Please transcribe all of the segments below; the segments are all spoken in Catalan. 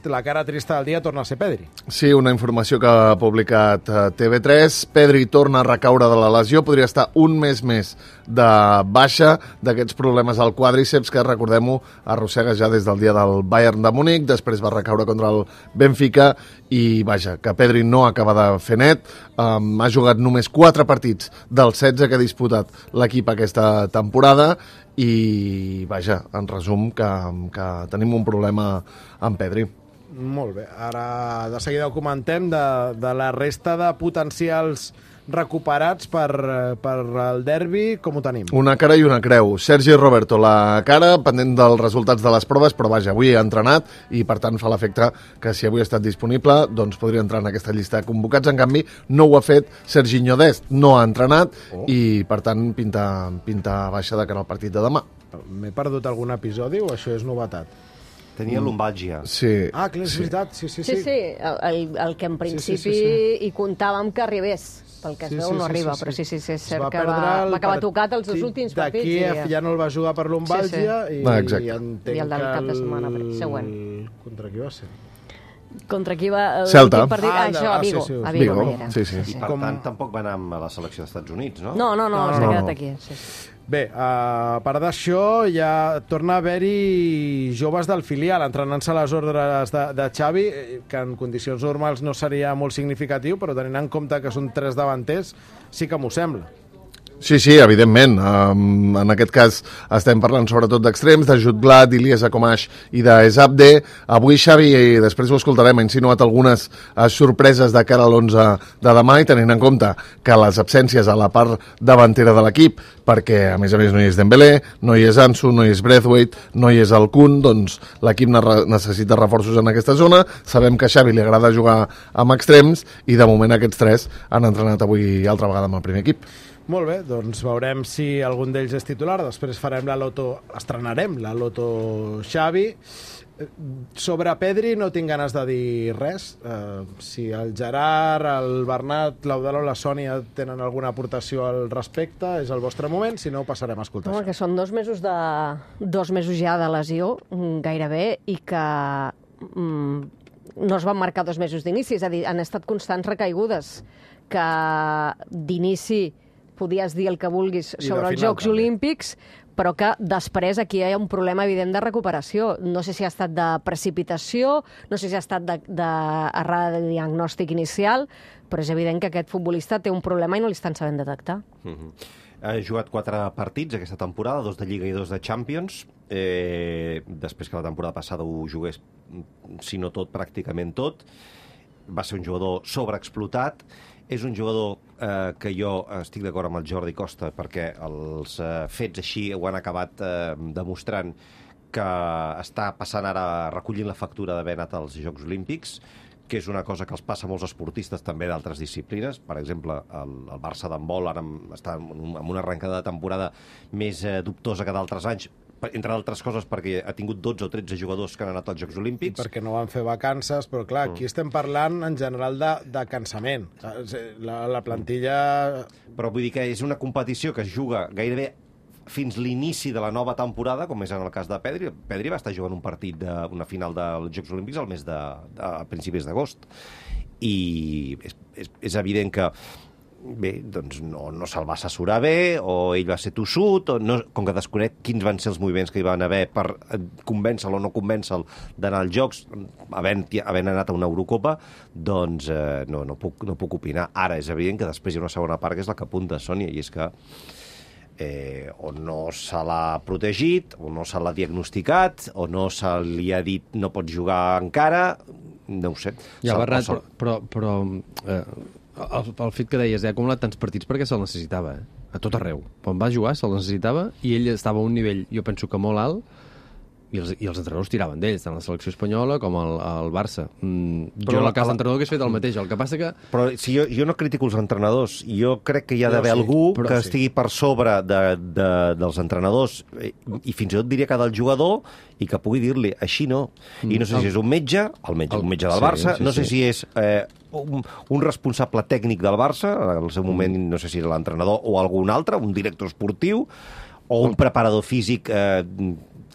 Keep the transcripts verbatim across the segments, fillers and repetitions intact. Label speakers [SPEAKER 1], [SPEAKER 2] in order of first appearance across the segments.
[SPEAKER 1] la cara trista del dia torna a ser Pedri.
[SPEAKER 2] Sí, una informació que ha publicat T V tres. Pedri torna a recaure de la lesió, podria estar un mes més de baixa d'aquests problemes al quàdriceps que, recordem-ho, arrossega ja des del dia del Bayern de Múnich, després va recaure contra el Benfica i, vaja, que Pedri no acaba de fer net. Um, ha jugat només quatre partits dels setze que ha disputat l'equip aquesta temporada i, vaja, en resum, que, que tenim un problema amb Pedri.
[SPEAKER 1] Molt bé, ara de seguida ho comentem de, de la resta de potencials recuperats per, per el derbi, com ho tenim?
[SPEAKER 2] Una cara i una creu. Sergi Roberto, la cara, pendent dels resultats de les proves, però vaja, avui ha entrenat i per tant fa l'efecte que si avui ha estat disponible doncs podria entrar en aquesta llista de convocats. En canvi, no ho ha fet Serginho Dest, no ha entrenat oh. i per tant pinta, pinta baixa de cara al partit de demà.
[SPEAKER 1] M'he perdut algun episodi o això és novetat?
[SPEAKER 3] Tenia lumbàlgia.
[SPEAKER 2] Sí.
[SPEAKER 1] Ah, clar, és
[SPEAKER 2] sí.
[SPEAKER 1] veritat. Sí, sí,
[SPEAKER 4] sí. Sí, sí, el, el que en principi sí, sí, sí, sí. hi comptàvem que arribés. Pel que es
[SPEAKER 1] sí,
[SPEAKER 4] veu
[SPEAKER 1] sí,
[SPEAKER 4] no
[SPEAKER 1] sí,
[SPEAKER 4] arriba,
[SPEAKER 1] sí, sí.
[SPEAKER 4] però sí, sí, sí és cert
[SPEAKER 1] va
[SPEAKER 4] que va, va acabar tocat els dos últims partits.
[SPEAKER 1] D'aquí
[SPEAKER 4] i...
[SPEAKER 1] ja no el va jugar per lumbàlgia sí, sí. i,
[SPEAKER 2] ah,
[SPEAKER 1] i entenc
[SPEAKER 4] I el del cap de setmana següent.
[SPEAKER 1] Contra qui va ser?
[SPEAKER 4] Contra qui va... El
[SPEAKER 2] Celta.
[SPEAKER 4] Partit... Ah, ah, això, a Vigo.
[SPEAKER 1] Sí, sí,
[SPEAKER 4] a Vigo,
[SPEAKER 2] Vigo. Sí, sí.
[SPEAKER 3] I per Com... tant tampoc va anar a la selecció dels Estats Units, no?
[SPEAKER 4] No, no, no,
[SPEAKER 1] no,
[SPEAKER 4] s'ha
[SPEAKER 1] no,
[SPEAKER 4] quedat
[SPEAKER 1] no.
[SPEAKER 4] aquí. Sí, sí.
[SPEAKER 1] Bé, a part d'això, ja torna a haver-hi joves del filial entrenant-se a les ordres de, de Xavi, que en condicions normals no seria molt significatiu, però tenint en compte que són tres davanters, sí que m'ho sembla.
[SPEAKER 2] Sí, sí, evidentment. Um, en aquest cas estem parlant sobretot d'extrems, de Jutglat, d'Ilias Akomash i d'Ezabde. Avui Xavi, i després ho escoltarem, ha insinuat algunes uh, sorpreses de cara a l'onze de demà i tenint en compte que les absències a la part davantera de l'equip, perquè a més a més no hi és Dembélé, no hi és Ansu, no hi és Braithwaite, no hi és el Kun, doncs l'equip necessita reforços en aquesta zona. Sabem que a Xavi li agrada jugar amb extrems i de moment aquests tres han entrenat avui altra vegada amb el primer equip.
[SPEAKER 1] Molt bé, doncs veurem si algun d'ells és titular. Després farem la loto, estrenarem la loto Xavi. Sobre Pedri no tinc ganes de dir res. Uh, si el Gerard, el Bernat, l'Audal o la Sònia tenen alguna aportació al respecte, és el vostre moment, si no ho passarem a escoltar.
[SPEAKER 4] Home, que són dos mesos, de, dos mesos ja de lesió, gairebé, i que mm, no es van marcar dos mesos d'inici, és a dir, han estat constants recaigudes, que d'inici podies dir el que vulguis sobre els Jocs també. Olímpics, però que després aquí hi ha un problema evident de recuperació. No sé si ha estat de precipitació, no sé si ha estat d'errada de, de diagnòstic inicial, però és evident que aquest futbolista té un problema i no l'estan sabent detectar.
[SPEAKER 3] Mm-hmm. Ha jugat quatre partits aquesta temporada, dos de Lliga i dos de Champions, eh, després que la temporada passada ho jugués, si no tot, pràcticament tot. Va ser un jugador sobreexplotat. És un jugador eh, que jo estic d'acord amb el Jordi Costa perquè els eh, fets així ho han acabat eh, demostrant que està passant ara recollint la factura d'haver anat als Jocs Olímpics, que és una cosa que els passa a molts esportistes també d'altres disciplines. Per exemple, el, el Barça d'handbol ara està en una arrencada de temporada més eh, dubtosa que d'altres anys, entre d'altres coses perquè ha tingut dotze o tretze jugadors que han anat als Jocs Olímpics.
[SPEAKER 1] I perquè no van fer vacances, però clar, aquí mm. estem parlant en general de, de cansament. La, la plantilla...
[SPEAKER 3] Però vull dir que és una competició que es juga gairebé fins l'inici de la nova temporada, com és en el cas de Pedri. Pedri va estar jugant un partit d'una final dels Jocs Olímpics al mes de, de a principis d'agost. I és, és, és evident que bé, doncs no, no se'l va assessorar bé, o ell va ser tossut, o no, com que desconec quins van ser els moviments que hi van haver per convèncer-lo o no convèncer-lo d'anar als Jocs, havent, havent anat a una Eurocopa, doncs eh, no, no, puc, no puc opinar. Ara és evident que després hi ha una segona part que és la que apunta Sònia, i és que eh, o no se l'ha protegit, o no se l'ha diagnosticat, o no se li ha dit no pots jugar encara, no ho sé.
[SPEAKER 5] Ja, Bernat, però... però, però eh... El, el fet que deies, eh, ha acumulat tants partits perquè se'l necessitava, eh? A tot arreu. Quan va jugar se'l necessitava i ell estava a un nivell, jo penso que molt alt, i els, i els entrenadors tiraven d'ells, tant la selecció espanyola com el, el Barça. Mm, jo en el cas d'entrenador hagués fet el mateix. El que passa que...
[SPEAKER 3] Però si jo, jo no critico els entrenadors, jo crec que hi ha d'haver sí, algú que sí. estigui per sobre de, de, dels entrenadors, i fins i tot diria que del jugador, i que pugui dir-li, així no. I no sé si és un metge, el metge, el, un metge del sí, Barça, sí, no sé sí. si és eh, un, un responsable tècnic del Barça, en el seu moment mm. no sé si era l'entrenador o algun altre, un director esportiu, o un preparador físic eh,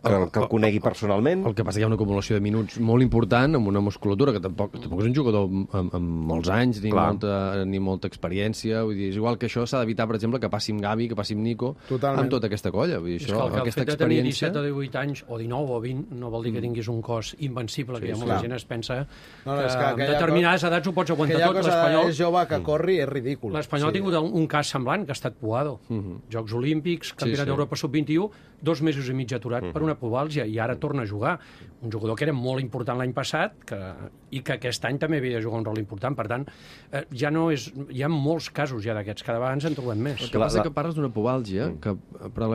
[SPEAKER 3] que, que el conegui personalment.
[SPEAKER 5] El que passa que hi ha una acumulació de minuts molt important, amb una musculatura que tampoc, tampoc és un jugador amb, amb molts anys ni molta, ni molta experiència. Vull dir, és igual que això s'ha d'evitar, per exemple, que passi amb Gavi, que passi amb Nico, Totalment. amb tota aquesta colla. Vull dir, això,
[SPEAKER 6] és que el, que
[SPEAKER 5] aquesta
[SPEAKER 6] el fet
[SPEAKER 5] experiència...
[SPEAKER 6] de tenir disset o divuit anys, o dinou o vint, no vol dir que tinguis un cos invencible, sí, que hi ha molta gent es pensa no, no, que, que amb determinades cosa, edats ho pots aguantar tot.
[SPEAKER 1] L'Espanyol és jove que corri és ridícul.
[SPEAKER 6] L'Espanyol sí. ha tingut un, un cas semblant, que ha estat Puado. Uh -huh. Jocs Olímpics, Campionat sí, sí. d'Europa sub vint i u, dos mesos i mig aturat uh -huh. per una pubalgia, i ara torna a jugar. Un jugador que era molt important l'any passat que, i que aquest any també havia de jugar un rol important. Per tant, eh, ja no és, hi ha molts casos ja d'aquests, cada vegada ens en trobem més.
[SPEAKER 5] El que passa la... que parles d'una pubalgia, mm. que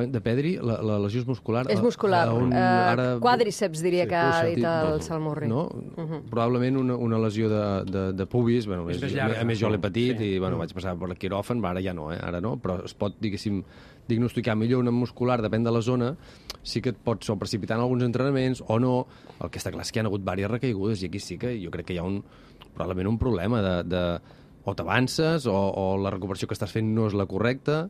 [SPEAKER 5] de Pedri, la, la lesió és muscular.
[SPEAKER 4] És muscular. On, uh, ara... Quàdriceps, diria sí, que ha dit el Salmurri.
[SPEAKER 5] No? Uh -huh. Probablement una, una lesió de, de, de pubis. Bueno, és, és llarga, a més, jo l'he patit sí. i bueno, vaig passar per el quiròfan, ara ja no, eh? ara no, però es pot, diguéssim, diagnosticar millor una muscular, depèn de la zona, sí que et pots o precipitar en alguns entrenaments o no. El que està clar és que hi ha hagut diverses recaigudes i aquí sí que jo crec que hi ha un, probablement un problema de, de o t'avances o, o la recuperació que estàs fent no és la correcta.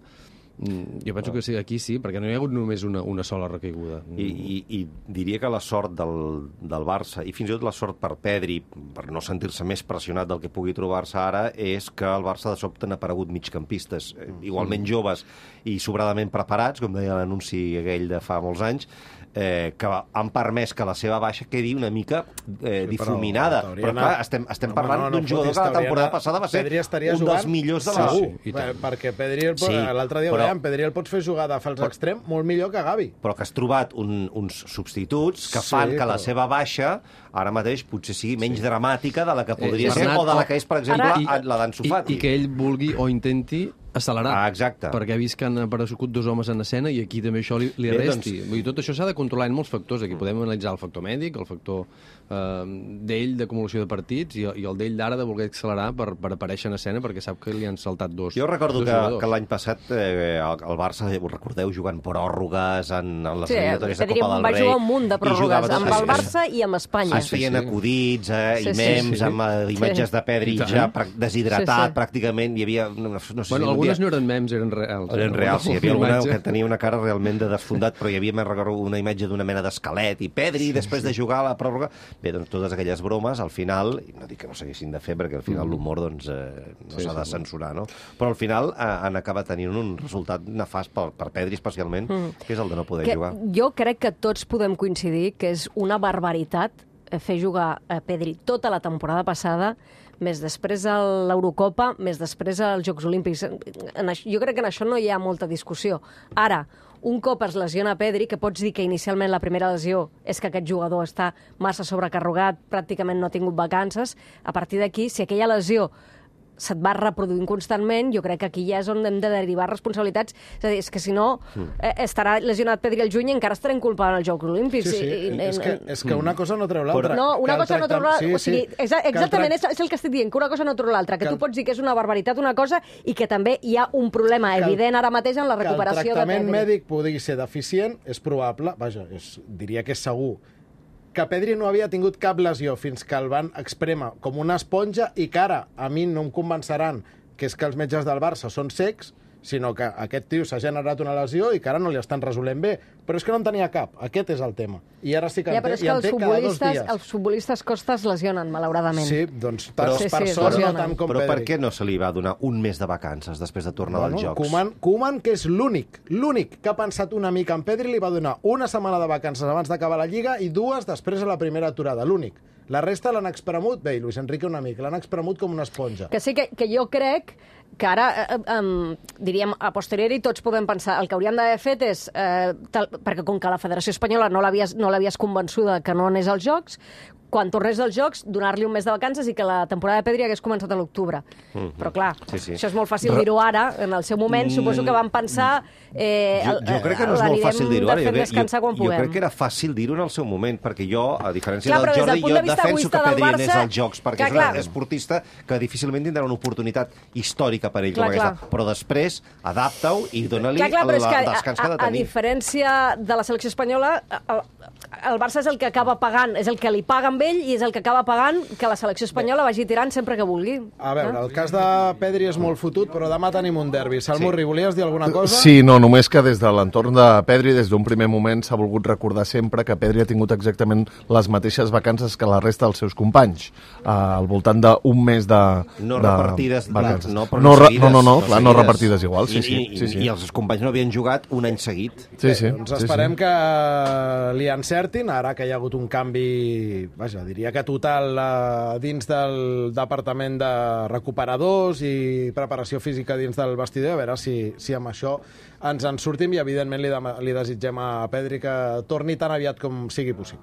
[SPEAKER 5] Jo penso que sí, aquí sí, perquè no hi ha hagut només una, una sola recaiguda.
[SPEAKER 3] I, i, I diria que la sort del, del Barça, i fins i tot la sort per Pedri, per no sentir-se més pressionat del que pugui trobar-se ara, és que al Barça de sobte han aparegut migcampistes, igualment joves i sobradament preparats, com deia l'anunci aquell de fa molts anys, eh, que han permès que la seva baixa quedi una mica eh, sí, difuminada. Però, però clar, estem, estem no, parlant no, no, d'un jugador que la temporada passada va ser un dels millors de la...
[SPEAKER 1] Segur, sí, perquè Pedri, sí, l'altre dia però, veiem, Pedri el pots fer jugar de fals extrem molt millor que Gavi.
[SPEAKER 3] Però que has trobat un, uns substituts que fan sí, que la però... seva baixa ara mateix potser sigui menys sí. dramàtica de la que podria eh, ser Bernat, o de la que és, per exemple, ara... la d'Ansu Fati.
[SPEAKER 5] I, I que ell vulgui o intenti accelerar,
[SPEAKER 3] ah, exacte.
[SPEAKER 5] perquè ha vist que han aparegut dos homes en escena i aquí també això li, li Bé, resti. Doncs... Vull dir, tot això s'ha de controlar en molts factors. Aquí podem analitzar el factor mèdic, el factor eh, d'ell d'acumulació de partits i, i el d'ell d'ara de voler accelerar per, per aparèixer en escena perquè sap que li han saltat dos.
[SPEAKER 3] Jo recordo
[SPEAKER 5] dos
[SPEAKER 3] que, que l'any passat eh, el, el Barça, ho recordeu, jugant pròrrogues en, en les sí, eliminatòries de Copa del Rei.
[SPEAKER 4] Va jugar un munt de pròrrogues amb el Barça i amb Espanya.
[SPEAKER 3] Es feien sí, sí. acudits eh, sí, i memes sí, sí. amb uh, imatges sí. de Pedri ja deshidratat sí, sí. pràcticament. Hi havia... No, no sé si
[SPEAKER 5] bueno, algunes dia... no eren memes, eren reals.
[SPEAKER 3] Eren reals, sí. Hi havia alguna que tenia una cara realment de desfondat, però hi havia, me recordo, una imatge d'una mena d'esquelet i Pedri, sí, després sí. de jugar a la pròrroga... Bé, doncs totes aquelles bromes, al final, i no dic que no s'haguessin de fer, perquè al final l'humor doncs, eh, no s'ha sí, de censurar, no? Però al final eh, han acabat tenint un resultat nefast per, per Pedri especialment, mm. que és el de no poder
[SPEAKER 4] que
[SPEAKER 3] jugar.
[SPEAKER 4] Jo crec que tots podem coincidir que és una barbaritat fer jugar a Pedri tota la temporada passada, més després a l'Eurocopa, més després als Jocs Olímpics. En això, jo crec que en això no hi ha molta discussió. Ara, un cop es lesiona Pedri, que pots dir que inicialment la primera lesió és que aquest jugador està massa sobrecarregat, pràcticament no ha tingut vacances, a partir d'aquí, si aquella lesió se't va reproduint constantment, jo crec que aquí ja és on hem de derivar responsabilitats. És a dir, és que si no, eh, estarà lesionat Pedri al juny i encara estarem culpant els Jocs Olímpics.
[SPEAKER 1] Sí, sí,
[SPEAKER 4] I, i,
[SPEAKER 1] és, que, és que una cosa no treu l'altra.
[SPEAKER 4] No, una cosa no treu l'altra. Sí, o sigui, sí. Exactament, és, és el que estic dient, que una cosa no treu l'altra, que, que tu pots dir que és una barbaritat una cosa i que també hi ha un problema que evident ara mateix en la recuperació de Pedri.
[SPEAKER 1] Que el tractament mèdic pugui ser deficient és probable, vaja, és, diria que és segur, que Pedri no havia tingut cap lesió fins que el van exprémer com una esponja i que ara a mi no em convenceran que és que els metges del Barça són secs, sinó que aquest tio s'ha generat una lesió i que ara no li estan resolent bé. Però és que no en tenia cap. Aquest és el tema. I ara sí que
[SPEAKER 4] ja,
[SPEAKER 1] en té,
[SPEAKER 4] i en té cada dos dies. Els futbolistes costes lesionen, malauradament.
[SPEAKER 1] Sí, doncs per, sí, per sí, sort no tant com
[SPEAKER 3] Però
[SPEAKER 1] Pedri.
[SPEAKER 3] Per què no se li va donar un mes de vacances després de tornar
[SPEAKER 1] bueno,
[SPEAKER 3] dels Jocs?
[SPEAKER 1] Koeman, Koeman, que és l'únic, l'únic que ha pensat una mica en Pedri, li va donar una setmana de vacances abans d'acabar la Lliga i dues després a la primera aturada. L'únic. La resta l'han expremut, bé, i Luis Enrique una mica, l'han expremut com una esponja.
[SPEAKER 4] Que sí que, que jo crec que ara, eh, eh, diríem, a posteriori tots podem pensar, el que hauríem d'haver fet és, eh, tal, perquè com que la Federació Espanyola no l'havies no l'havies convençuda que no anés als Jocs, quan tornés dels Jocs, donar-li un mes de vacances i que la temporada de Pedri hagués començat a l'octubre. Mm-hmm. Però clar, sí, sí. això és molt fàcil dir-ho ara, en el seu moment, mm. suposo que van pensar... Eh,
[SPEAKER 3] jo, jo crec que no és molt fàcil dir-ho ara, jo, jo,
[SPEAKER 4] jo
[SPEAKER 3] crec que era fàcil dir-ho en el seu moment, perquè jo, a diferència clar, del Jordi, jo defenso que Pedri Barça, anés als Jocs, perquè que, és un esportista que difícilment tindrà una oportunitat històrica històrica per ell,
[SPEAKER 4] Clar,
[SPEAKER 3] com
[SPEAKER 4] clar.
[SPEAKER 3] aquesta. Però després, adapta-ho i dona-li
[SPEAKER 4] Clar, clar, però
[SPEAKER 3] el
[SPEAKER 4] és que,
[SPEAKER 3] descans que ha de
[SPEAKER 4] a, a, a
[SPEAKER 3] tenir.
[SPEAKER 4] diferència de la selecció espanyola, el, el Barça és el que acaba pagant, és el que li paga amb ell i és el que acaba pagant que la selecció espanyola vagi tirant sempre que vulgui.
[SPEAKER 1] A veure, el cas de Pedri és molt fotut, però demà tenim un derbi. Salmurri,
[SPEAKER 3] Sí.
[SPEAKER 1] volies dir alguna cosa?
[SPEAKER 2] Sí, no, només que des de l'entorn de Pedri, des d'un primer moment s'ha volgut recordar sempre que Pedri ha tingut exactament les mateixes vacances que la resta dels seus companys, uh, al voltant d'un mes de,
[SPEAKER 3] No
[SPEAKER 2] de
[SPEAKER 3] repartides,
[SPEAKER 2] vacances.
[SPEAKER 3] no, però
[SPEAKER 2] no,
[SPEAKER 3] no
[SPEAKER 2] re-
[SPEAKER 3] seguides.
[SPEAKER 2] no, no, no, clar, no
[SPEAKER 3] seguides.
[SPEAKER 2] repartides igual, sí,
[SPEAKER 3] I,
[SPEAKER 2] sí,
[SPEAKER 3] i,
[SPEAKER 2] sí, sí.
[SPEAKER 3] I els companys no havien jugat un any seguit.
[SPEAKER 2] Sí, sí.
[SPEAKER 1] Doncs
[SPEAKER 2] sí,
[SPEAKER 1] esperem
[SPEAKER 2] sí.
[SPEAKER 1] que li encertin, ara que hi ha hagut un canvi, vaja, diria que total eh, dins del departament de recuperadors i preparació física dins del vestidor, a veure si, si amb això ens en sortim i evidentment li, dem- li desitgem a Pedri que torni tan aviat com sigui possible.